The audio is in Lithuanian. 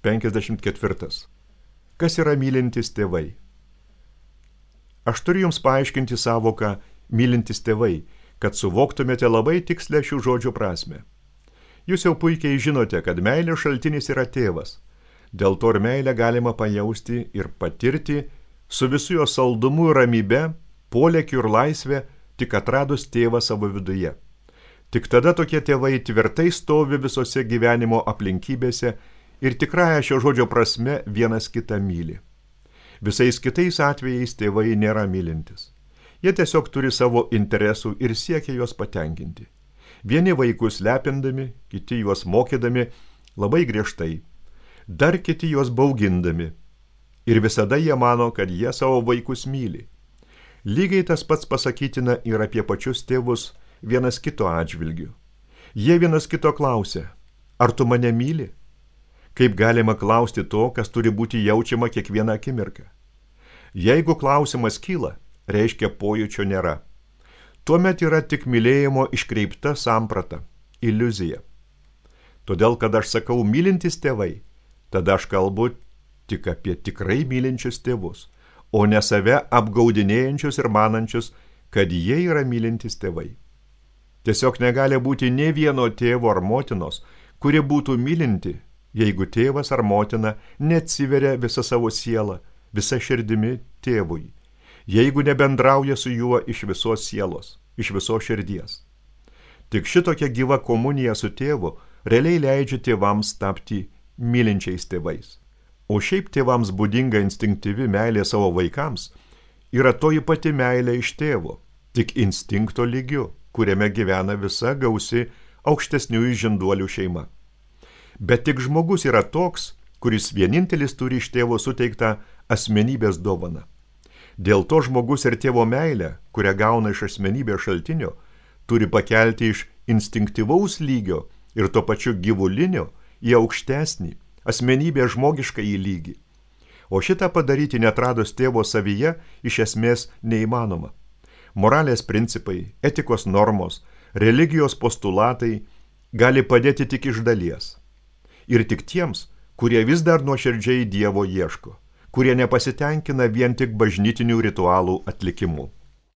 54. Kas yra mylintys tėvai? Aš turiu jums paaiškinti savoką mylintys tėvai, kad suvoktumėte labai tikslę šių žodžių prasme. Jūs jau puikiai žinote, kad meilės šaltinis yra tėvas. Dėl to ir meilę galima pajausti ir patirti su visu jo saldumu ir ramybe, polėkiu ir laisvė, tik atradus tėvą savo viduje. Tik tada tokie tėvai tvirtai stovi visose gyvenimo aplinkybėse ir tikrąją šio žodžio prasme vienas kitą myli. Visais kitais atvejais tėvai nėra mylintis. Jie tiesiog turi savo interesų ir siekia juos patenkinti. Vieni vaikus lepindami, kiti juos mokydami labai griežtai, dar kiti juos baugindami. Ir visada jie mano, kad jie savo vaikus myli. Lygiai tas pats pasakytina ir apie pačius tėvus vienas kito atžvilgiu. Jie vienas kito klausia, ar tu mane myli? Kaip galima klausti to, kas turi būti jaučiama kiekvieną akimirką? Jeigu klausimas kyla, reiškia pojūčio nėra. Tuomet yra tik mylėjimo iškreipta samprata, iliuzija. Todėl, kad aš sakau mylintys tėvai, tada aš kalbu tik apie tikrai mylinčius tėvus, o ne save apgaudinėjančius ir manančius, kad jie yra mylintys tėvai. Tiesiog negali būti nė vieno tėvo ar motinos, kuri būtų mylinti, jeigu tėvas ar motina neatsiveria visą savo sielą, visą širdimi tėvui, jeigu nebendrauja su juo iš visos sielos, iš visos širdies. Tik šitokia gyva komunija su tėvu realiai leidžia tėvams tapti mylinčiais tėvais. O šiaip tėvams būdinga instinktyvi meilė savo vaikams yra toji pati meilė iš tėvo, tik instinkto lygiu, kuriame gyvena visa gausi aukštesniųjų žinduolių šeima. Bet tik žmogus yra toks, kuris vienintelis turi iš tėvo suteiktą asmenybės dovaną. Dėl to žmogus ir tėvo meilę, kurią gauna iš asmenybės šaltinio, turi pakelti iš instinktyvaus lygio ir to pačiu gyvulinio į aukštesnį, asmenybės žmogišką į lygį. O šitą padaryti netradus tėvo savyje iš esmės neįmanoma. Moralės principai, etikos normos, religijos postulatai gali padėti tik iš dalies. Ir tik tiems, kurie vis dar nuoširdžiai Dievo ieško, kurie nepasitenkina vien tik bažnytinių ritualų atlikimu.